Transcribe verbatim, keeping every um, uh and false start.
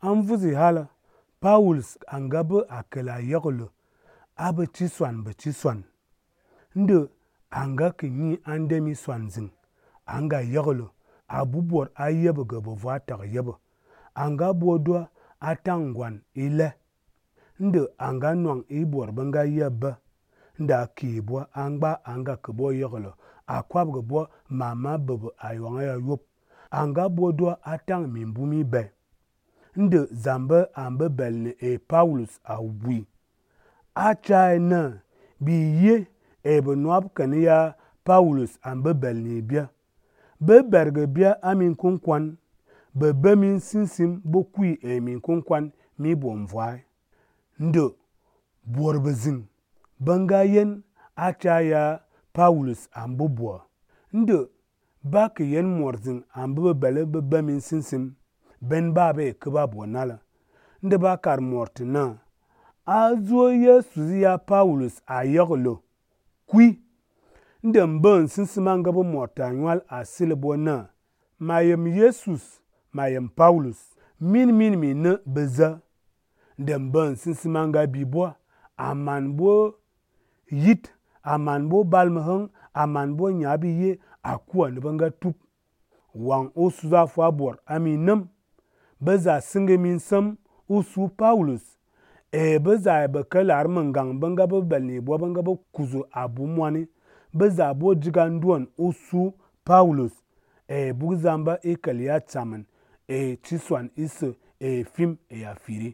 a mvuzi hala, Paulus a nga bə a kəl a yekələ a bə ti swan bə ti swan. Ndə a nga kə nyi a ndemi swanzing a nga yekələ a bubwor a yeɓə gə bəvu tak yeɓə. A nga ɓotdwa a tang ngwan i le. Ndə a nga nwang i bwor ɓə nga yeb bə. Ndə a keebwa a mgba a nga kəɓə yekələ a kwabgəbwa mama bəbə a yawang ya yop. A nga ɓotdwa a tang mimbumi be. Ndə zambe a mɓə bəl nə ee Paulus a wui. A chaye nə ɓi ye ee ɓə nwap kən ya Paulus a mɓə bəl nə bya. Ɓə bergə bya a mi kunkwan, ɓə bə min sinsim ɓə kwi ee min kunkwan mi bom vwai. Ndə bworbəzing ɓə nga yen a cha ya Paulus a mɓə bwə. Ndə ba kə yen mworzing a mɓə ɓə bələ ɓə bə min sinsim, bən ɓa ɓe kəɓa bwə nalə. Ndə ɓa kar mwor tə nə a zo yesu zi ya Paulus a yekələ kwi. Ndə mbən sinsim a nga ɓə mwor tə a nywal a sɨlə ɓo nə ma yem yesus, ma yem Paulus, min min mi nə ɓə zə. Ndə mbən sinsim a nga bibwa a man ɓo yit, a man ɓo ɓalmə həng, a man ɓo nyaɓi ye a kwo nə ɓə nga tup. Wang u su za fwa bwor a mi nəm, ɓə za sɨnggə min səm u su Paulus, ee ɓə za ɓə kəlar məngang ɓə nga ɓə bəl nə ɓwa ɓə nga ɓə kusə a bu mwani, ɓə za ɓo jiga ndwon u su Paulus, ee buk zamba i kəl ya tsamən, ee ti swan isə, ee fim ee ya firi.